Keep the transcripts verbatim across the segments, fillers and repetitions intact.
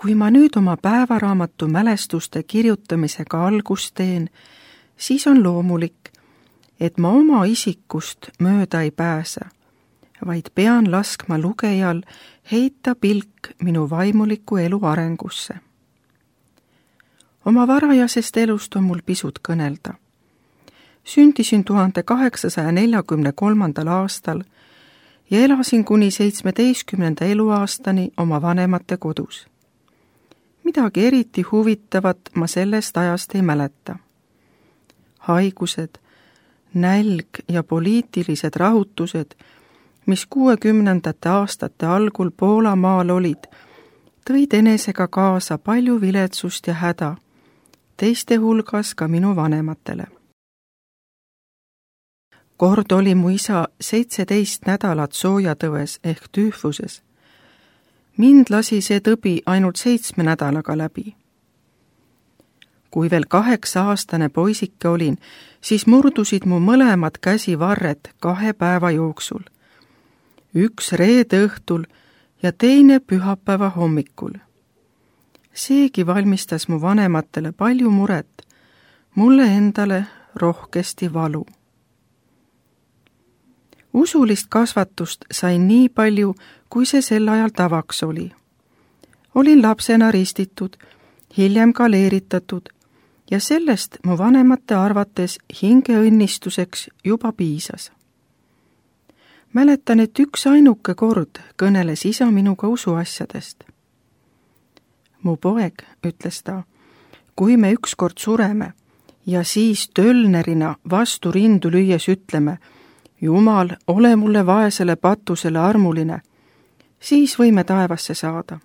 kui ma nüüd oma päevaraamatu mälestuste kirjutamisega algust teen, siis on loomulik, et ma oma isikust mööda ei pääse, vaid pean laskma lugejal heita pilk minu vaimuliku elu arengusse. Oma varajasest elust on mul pisut kõnelda. Sündisin tuhande kaheksasaja neljakümne kolmandal aastal ja elasin kuni seitsmeteistkümnenda eluaastani oma vanemate kodus. Midagi eriti huvitavat ma sellest ajast ei mäleta. Haigused, nälg ja poliitilised rahutused, mis kuuekümnendate aastate algul Poola maal olid, tõid enesega kaasa palju viletsust ja häda, teiste hulgas ka minu vanematele. Kord oli mu isa seitseteist nädalat soojatõves ehk tüüfuses. Mind lasi see tõbi ainult seitsme nädalaga läbi. Kui veel kaheksa aastane poisike olin, siis murdusid mu mõlemad käsivarred kahe päeva jooksul. Üks reede õhtul ja teine pühapäeva hommikul. Seegi valmistas mu vanematele palju muret, mulle endale rohkesti valu. Usulist kasvatust sain nii palju, kui see sel ajal tavaks oli. Olin lapsena ristitud, hiljem galeeritatud ja sellest mu vanemate arvates hingeõnnistuseks juba piisas. Mäletan, et üks ainuke kord kõneles isa minuga usuasjadest. Mu poeg, ütles ta, kui me ükskord sureme ja siis tölnerina vastu rindu lüües ütleme, Jumal, ole mulle vaesele patusele armuline, siis võime taevasse saada.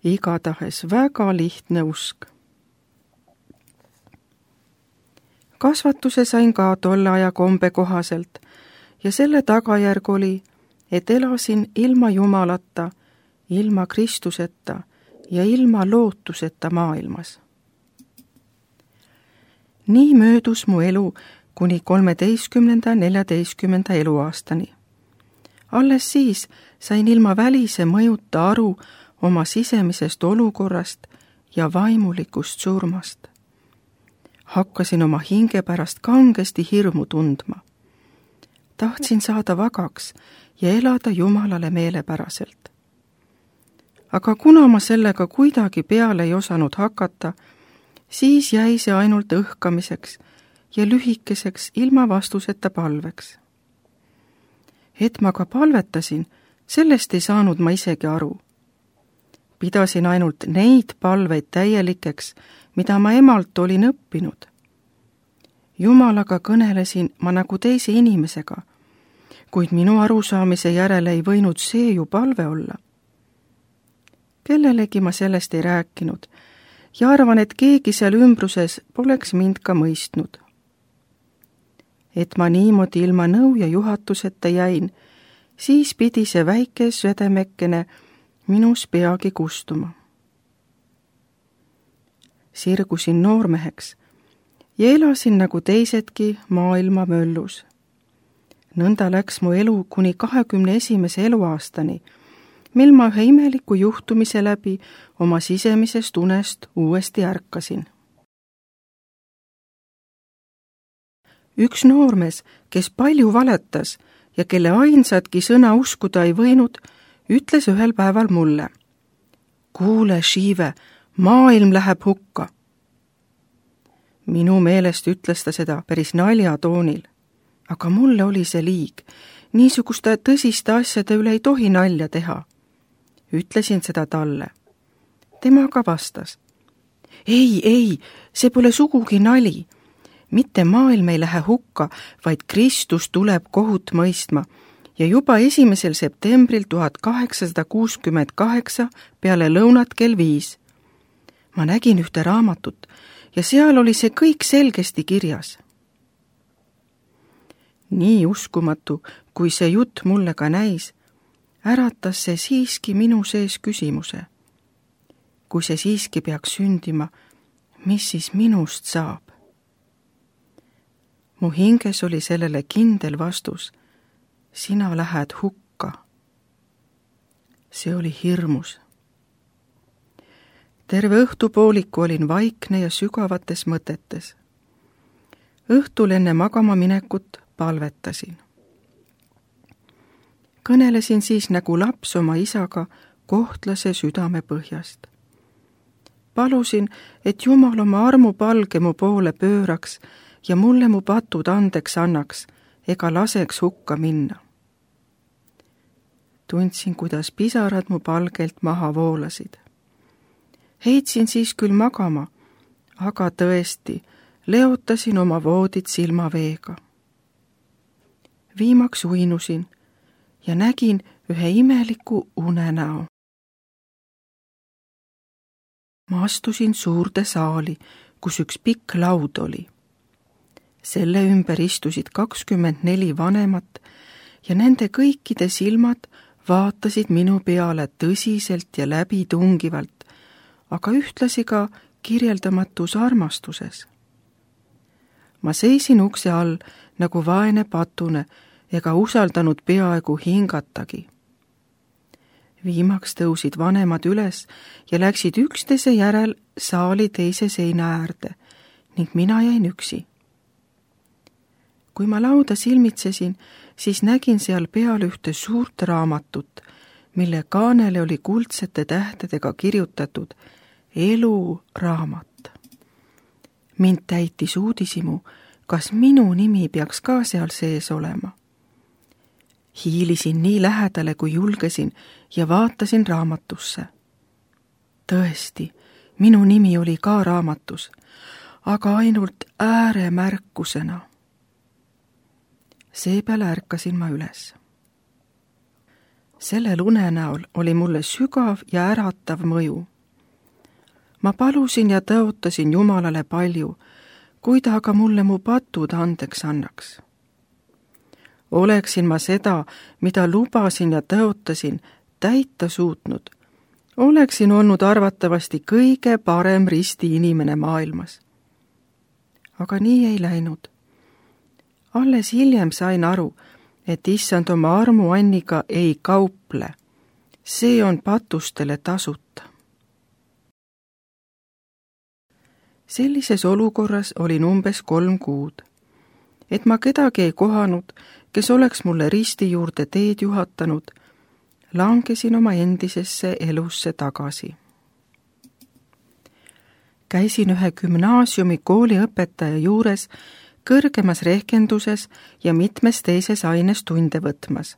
Igatahes väga lihtne usk. Kasvatuse sain ka tolle aja kombe kohaselt ja selle tagajärg oli, et elasin ilma Jumalata, ilma Kristuseta ja ilma lootuseta maailmas. Nii möödus mu elu kuni kolmeteistkümnenda neljateistkümnenda eluaastani. Alles siis sain ilma välise mõjuta aru oma sisemisest olukorrast ja vaimulikust surmast. Hakkasin oma hinge pärast kangesti hirmu tundma. Tahtsin saada vagaks ja elada Jumalale meelepäraselt. Aga kuna ma sellega kuidagi peale ei osanud hakata, siis jäi see ainult õhkamiseks ja lühikeseks ilma vastuseta palveks. Et ma ka palvetasin, sellest ei saanud ma isegi aru. Pidasin ainult neid palveid täielikeks, mida ma emalt olin õppinud. Jumalaga kõnelesin ma nagu teise inimesega, kuid minu arusaamise järele ei võinud see ju palve olla. Kellelegi ma sellest ei rääkinud ja arvan, et keegi seal ümbruses poleks mind ka mõistnud. Et ma niimoodi ilma nõu ja juhatuseta jäin, siis pidi see väike südamekene minus peagi kustuma. Sirgusin noormeheks ja elasin nagu teisedki maailma möllus. Nõnda läks mu elu kuni kahekümne esimese eluaastani, mil ma ühe imeliku juhtumise läbi oma sisemisest unest uuesti ärkasin. Üks noormees, kes palju valetas ja kelle ainsatki sõna uskuda ei võinud, ütles ühel päeval mulle: kuule, Shive, maailm läheb hukka. Minu meelest ütles ta seda päris naljatoonil, aga mulle oli see liig. Niisuguste tõsiste asjade üle ei tohi nalja teha. Ütlesin seda talle. Tema ka vastas: ei, ei, see pole sugugi nali. Mitte maailm ei lähe hukka, vaid Kristus tuleb kohut mõistma ja juba esimesel septembril tuhat kaheksasada kuuskümmend kaheksa peale lõunat kell viis. Ma nägin ühte raamatut ja seal oli see kõik selgesti kirjas. Nii uskumatu, kui see jutt mulle ka näis, äratas see siiski minu sees küsimuse. Kui see siiski peaks sündima, mis siis minust saab? Mu hinges oli sellele kindel vastus: sina lähed hukka. See oli hirmus, terve õhtupooliku olin vaikne ja sügavates mõtetes. Õhtul enne magama minekut palvetasin. Kõnelesin siis nagu laps oma isaga kohtlase südame põhjast. Palusin, et Jumal oma armupalge mu poole pööraks ja mulle mu patud andeks annaks ega laseks hukka minna. Tundsin, kuidas pisarad mu palgelt maha voolasid. Heitsin siis küll magama, aga tõesti, leotasin oma voodit silmaveega. Viimaks uinusin ja nägin ühe imeliku unenäo. Ma astusin suurde saali, kus üks pikk laud oli. Selle ümber istusid kakskümmend neli vanemat ja nende kõikide silmad vaatasid minu peale tõsiselt ja läbitungivalt, aga ühtlasi ka kirjeldamatus armastuses. Ma seisin ukse all nagu vaene patune ega usaldanud peaaegu hingatagi. Viimaks tõusid vanemad üles ja läksid üksteise järel saali teise seina äärde ning mina jäin üksi. Kui ma lauda silmitsesin, siis nägin seal peal ühte suurt raamatut, mille kaanele oli kuldsete tähtedega kirjutatud eluraamat. Mind täitis uudishimu, kas minu nimi peaks ka seal sees olema. Hiilisin nii lähedale, kui julgesin ja vaatasin raamatusse. Tõesti, minu nimi oli ka raamatus, aga ainult ääremärkusena. Seepeale ärkasin ma üles. Sellel unenäol oli mulle sügav ja äratav mõju. Ma palusin ja tõotasin Jumalale palju, kui ta aga mulle mu patud andeks annaks. Oleksin ma seda, mida lubasin ja tõotasin, täita suutnud, oleksin olnud arvatavasti kõige parem risti inimene maailmas. Aga nii ei läinud. Alles hiljem sain aru, et issand oma armuanniga ei kauple. See on patustele tasuta. Sellises olukorras olin umbes kolm kuud. Et ma kedagi ei kohanud, kes oleks mulle risti juurde teed juhatanud, langesin oma endisesse elusse tagasi. Käisin ühe gümnaasiumi kooliõpetaja juures kõrgemas rehkenduses ja mitmes teises aines tunde võtmas.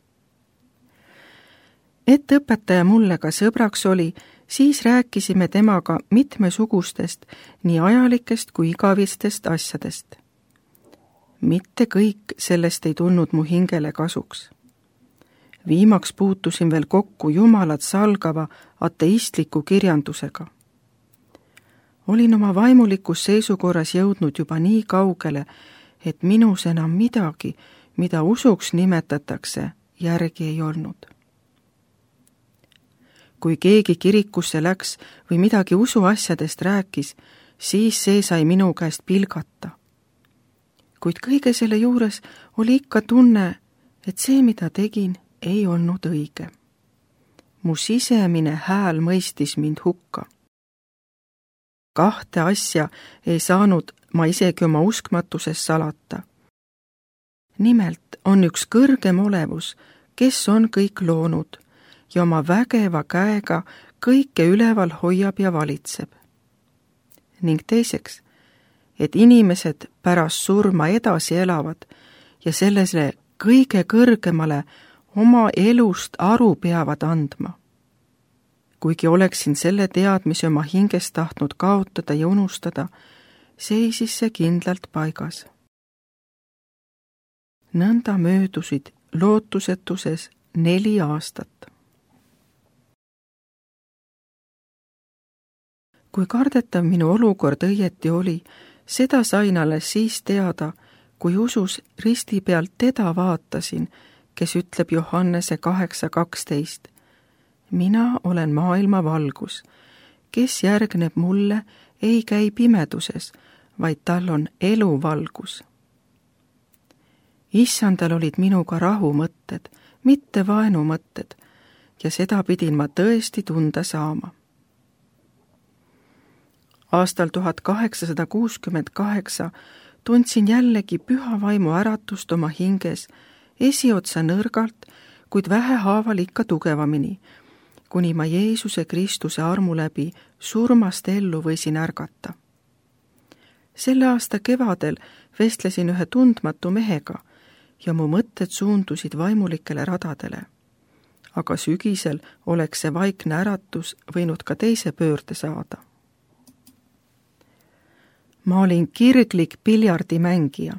Et õpetaja mulle ka sõbraks oli, siis rääkisime temaga mitmesugustest, nii ajalikest kui igavistest asjadest. Mitte kõik sellest ei tulnud mu hingele kasuks. Viimaks puutusin veel kokku Jumalat salgava ateistliku kirjandusega. Olin oma vaimulikus seisukorras jõudnud juba nii kaugele, et minus enam midagi, mida usuks nimetatakse, järgi ei olnud. Kui keegi kirikusse läks või midagi usuasjadest rääkis, siis see sai minu käest pilgata. Kuid kõige selle juures oli ikka tunne, et see, mida tegin, ei olnud õige. Mu sisemine hääl mõistis mind hukka. Kahte asja ei saanud ma isegi oma uskmatuses salata. Nimelt on üks kõrgem olevus, kes on kõik loonud ja oma vägeva käega kõike üleval hoiab ja valitseb. Ning teiseks, et inimesed pärast surma edasi elavad ja sellele kõige kõrgemale oma elust aru peavad andma. Kuigi oleksin selle teadmise oma hingest tahtnud kaotada ja unustada, seisis see kindlalt paigas. Nõnda möödusid lootusetuses neli aastat. Kui kardetav minu olukord õieti oli, seda sain alles siis teada, kui usus risti pealt teda vaatasin, kes ütleb Johannese kaheksa kaksteist. Mina olen maailma valgus, kes järgneb mulle, ei käi pimeduses, vaid tal on eluvalgus. Issandal olid minuga rahumõtted, mitte vaenumõtted, ja seda pidin ma tõesti tunda saama. aastal tuhat kaheksasada kuuskümmend kaheksa tundsin jällegi püha vaimu äratust oma hinges, esiotsa nõrgalt, kuid vähehaaval ikka tugevamini, kuni ma Jeesuse Kristuse armu läbi surmast ellu võisin ärgata. Selle aasta kevadel vestlesin ühe tundmatu mehega ja mu mõtted suundusid vaimulikele radadele. Aga sügisel oleks see vaikne äratus võinud ka teise pöörde saada. Ma olin kirglik piljardimängija.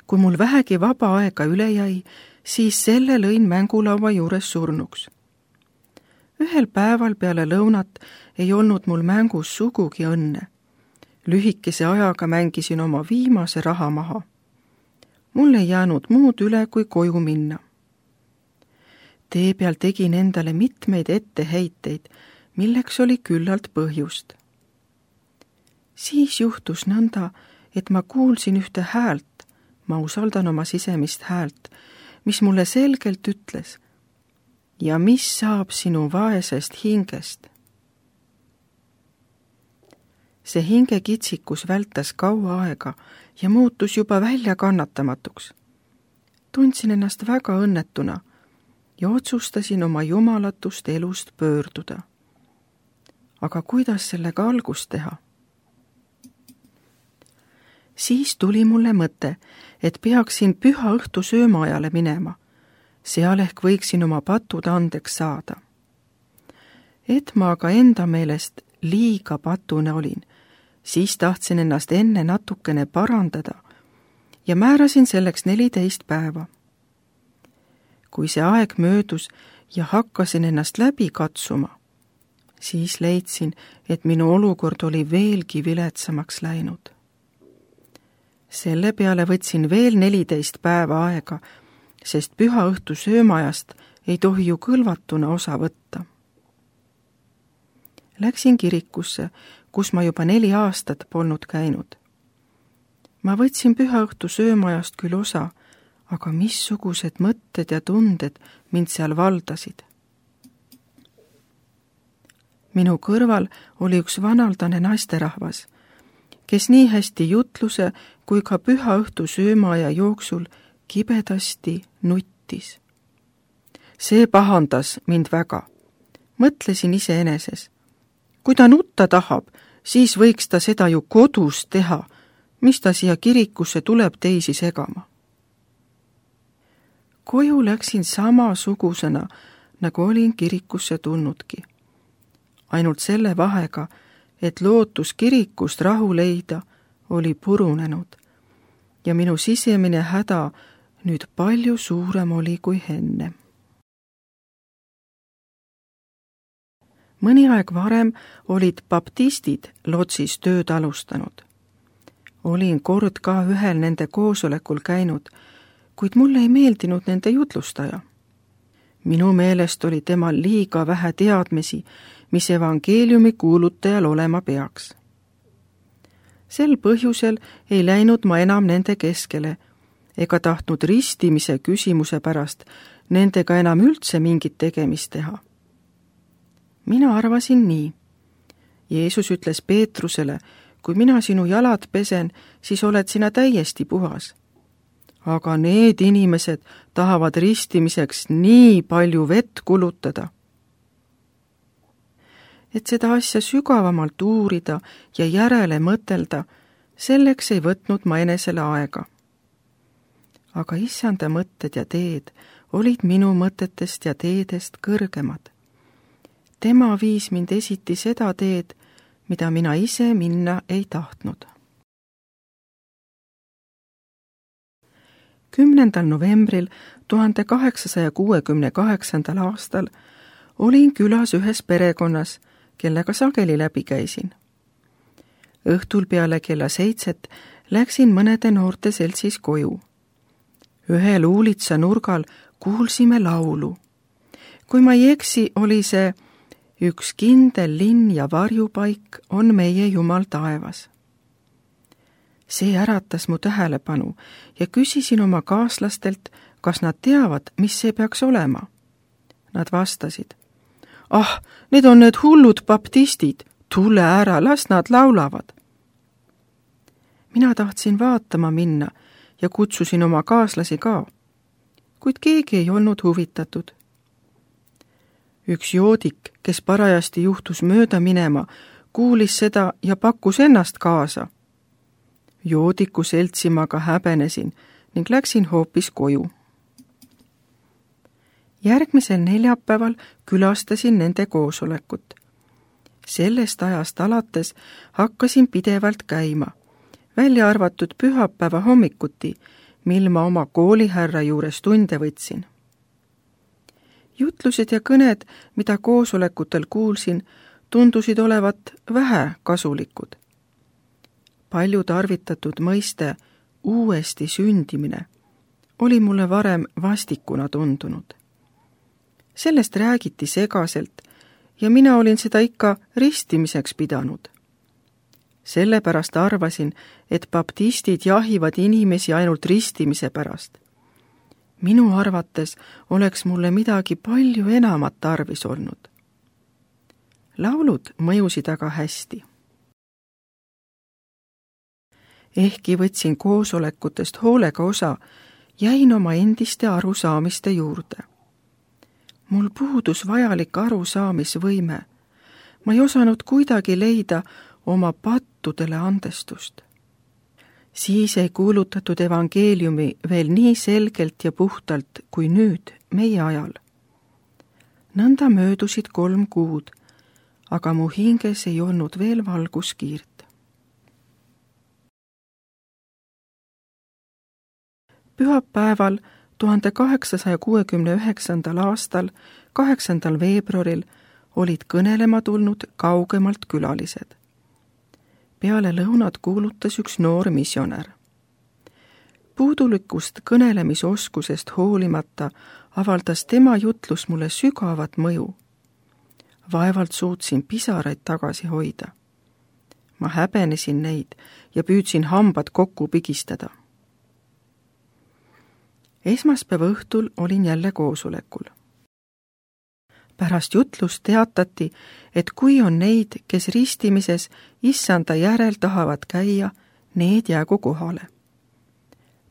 Kui mul vähegi vaba aega üle jäi, siis selle lõin mängulaua juures surnuks. Ühel päeval peale lõunat ei olnud mul mängus sugugi õnne. Lühikese ajaga mängisin oma viimase raha maha. Mul ei jäänud muud üle, kui koju minna. Tee peal tegin endale mitmeid etteheiteid, milleks oli küllalt põhjust. Siis juhtus nõnda, et ma kuulsin ühte häält, ma usaldan oma sisemist häält, mis mulle selgelt ütles: ja mis saab sinu vaesest hingest? See hingekitsikus vältas kaua aega ja muutus juba väljakannatamatuks. Tundsin ennast väga õnnetuna ja otsustasin oma jumalatust elust pöörduda. Aga kuidas sellega algust teha? Siis tuli mulle mõte, et peaksin püha õhtu söömaajale minema. Seal ehk võiksin oma patud andeks saada. Et ma aga enda meelest liiga patune olin, siis tahtsin ennast enne natukene parandada ja määrasin selleks neliteist päeva. Kui see aeg möödus ja hakkasin ennast läbi katsuma, siis leidsin, et minu olukord oli veelgi viletsamaks läinud. Selle peale võtsin veel neliteist päeva aega, sest püha õhtu söömajast ei tohi ju kõlvatuna osa võtta. Läksin kirikusse, kus ma juba neli aastat polnud käinud. Ma võtsin püha õhtu söömajast küll osa, aga missugused mõtted ja tunded mind seal valdasid. Minu kõrval oli üks vanaldane naisterahvas, kes nii hästi jutluse kui ka püha õhtu söömaaja jooksul kibedasti nuttis. See pahandas mind väga. Mõtlesin iseeneses. Kui ta nutta tahab, siis võiks ta seda ju kodus teha, mis ta siia kirikusse tuleb teisi segama. Koju läksin samasugusena, nagu olin kirikusse tulnudki. Ainult selle vahega, et lootus kirikust rahu leida oli purunenud ja minu sisemine häda nüüd palju suurem oli kui enne. Mõni aeg varem olid baptistid Lotsis tööd alustanud. Olin kord ka ühel nende koosolekul käinud, kuid mulle ei meeldinud nende jutlustaja. Minu meelest oli temal liiga vähe teadmisi, mis evangeeliumi kuulutajal olema peaks. Sel põhjusel ei läinud ma enam nende keskele ega tahtnud ristimise küsimuse pärast nendega enam üldse mingit tegemist teha. Mina arvasin nii. Jeesus ütles Peetrusele, kui mina sinu jalad pesen, siis oled sina täiesti puhas. Aga need inimesed tahavad ristimiseks nii palju vett kulutada. Et seda asja sügavamalt uurida ja järele mõtelda, selleks ei võtnud ma enesele aega. Aga issanda mõtted ja teed olid minu mõtetest ja teedest kõrgemad. Tema viis mind esiti seda teed, mida mina ise minna ei tahtnud. kümnendal novembril tuhande kaheksasaja kuuekümne kaheksandal aastal olin külas ühes perekonnas, kellega sageli läbi käisin. Õhtul peale kella seitset läksin mõnede noorte seltsis koju. Ühel uulitsa nurgal kuulsime laulu. Kui ma ei eksi, oli see üks kindel linn ja varjupaik on meie Jumal taevas. See äratas mu tähelepanu ja küsisin oma kaaslastelt, kas nad teavad, mis see peaks olema. Nad vastasid: ah, need on need hullud baptistid, tule ära, las nad laulavad. mina tahtsin vaatama minna ja kutsusin oma kaaslasi ka, kuid keegi ei olnud huvitatud. üks joodik, kes parajasti juhtus mööda minema, kuulis seda ja pakkus ennast kaasa. joodiku seltsimaga häbenesin ning läksin hoopis koju. järgmisel neljapäeval külastasin nende koosolekut. sellest ajast alates hakkasin pidevalt käima, välja arvatud pühapäeva hommikuti, mil ma oma koolihärra juures tunde võtsin. jutlused ja kõned, mida koosolekutel kuulsin, tundusid olevat vähe kasulikud. palju tarvitatud mõiste uuesti sündimine oli mulle varem vastikuna tundunud. sellest räägiti segaselt ja mina olin seda ikka ristimiseks pidanud. sellepärast arvasin, et baptistid jahivad inimesi ainult ristimise pärast. minu arvates oleks mulle midagi palju enamat tarvis olnud. laulud mõjusid aga hästi. ehkki võtsin koosolekutest hoolega osa, jäin oma endiste arusaamiste juurde. mul puudus vajalik arusaamisvõime. ma ei osanud kuidagi leida oma pattudele andestust. siis ei kuulutatud evangeeliumi veel nii selgelt ja puhtalt kui nüüd meie ajal. nõnda möödusid kolm kuud, aga mu hinges ei olnud veel valguskiirt. pühapäeval tuhande kaheksasaja kuuekümne üheksandal aastal, kaheksandal veebruaril olid kõnelema tulnud kaugemalt külalised. peale lõunat kuulutas üks noor misjonär. puudulikust kõnelemisoskusest hoolimata avaldas tema jutlus mulle sügavat mõju. vaevalt suutsin pisaraid tagasi hoida. ma häbenesin neid ja püüdsin hambad kokku pigistada. esmaspäeva õhtul olin jälle koosolekul. pärast jutlust teatati, et kui on neid, kes ristimises issanda järel tahavad käia, need jäägu kohale.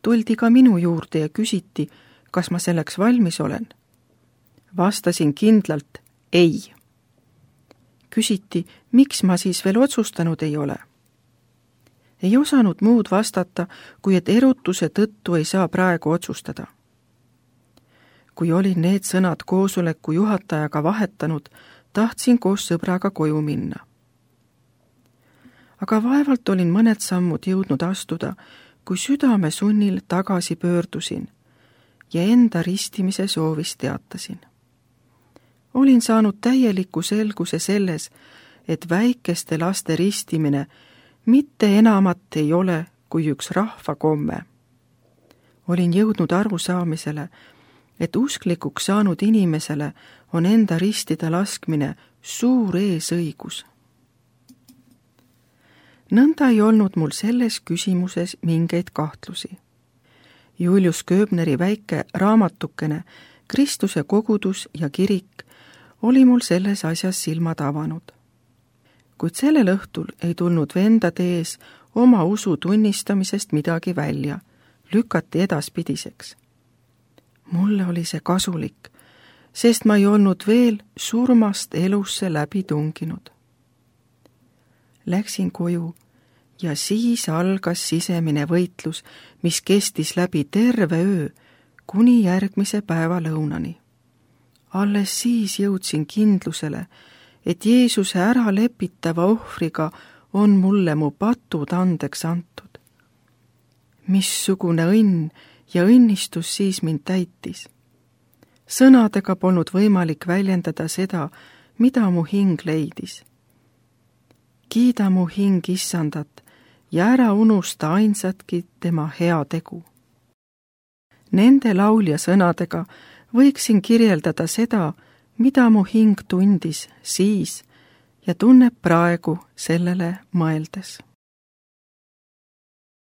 tuldi ka minu juurde ja küsiti, kas ma selleks valmis olen. vastasin kindlalt ei. küsiti, miks ma siis veel otsustanud ei ole. ei osanud muud vastata, kui et erutuse tõttu ei saa praegu otsustada. kui olin need sõnad koosoleku juhatajaga vahetanud, tahtsin koos sõbraga koju minna. aga vaevalt olin mõned sammud jõudnud astuda, kui südame sunnil tagasi pöördusin ja enda ristimise soovist teatasin. olin saanud täieliku selguse selles, et väikeste laste ristimine mitte enamat ei ole kui üks rahvakomme. olin jõudnud arusaamisele, et usklikuks saanud inimesele on enda ristida laskmine suur eesõigus. nõnda ei olnud mul selles küsimuses mingeid kahtlusi. Julius Köbneri väike raamatukene Kristuse kogudus ja kirik oli mul selles asjas silmad avanud. kuid sellel õhtul ei tulnud vendade ees oma usu tunnistamisest midagi välja, lükati edaspidiseks. mulle oli see kasulik, sest ma ei olnud veel surmast elusse läbi tunginud. Läksin koju ja siis algas sisemine võitlus, mis kestis läbi terve öö kuni järgmise päeva lõunani. alles siis jõudsin kindlusele, et Jeesuse ära lepitava ohvriga on mulle mu patud andeks antud. Missugune õnn ja õnnistus siis mind täitis. Sõnadega polnud võimalik väljendada seda, mida mu hing leidis. Kiida mu hing issandat ja ära unusta ainsatki tema hea tegu. Nende laulja sõnadega võiksin kirjeldada seda, mida mu hing tundis siis ja tunneb praegu sellele mõeldes.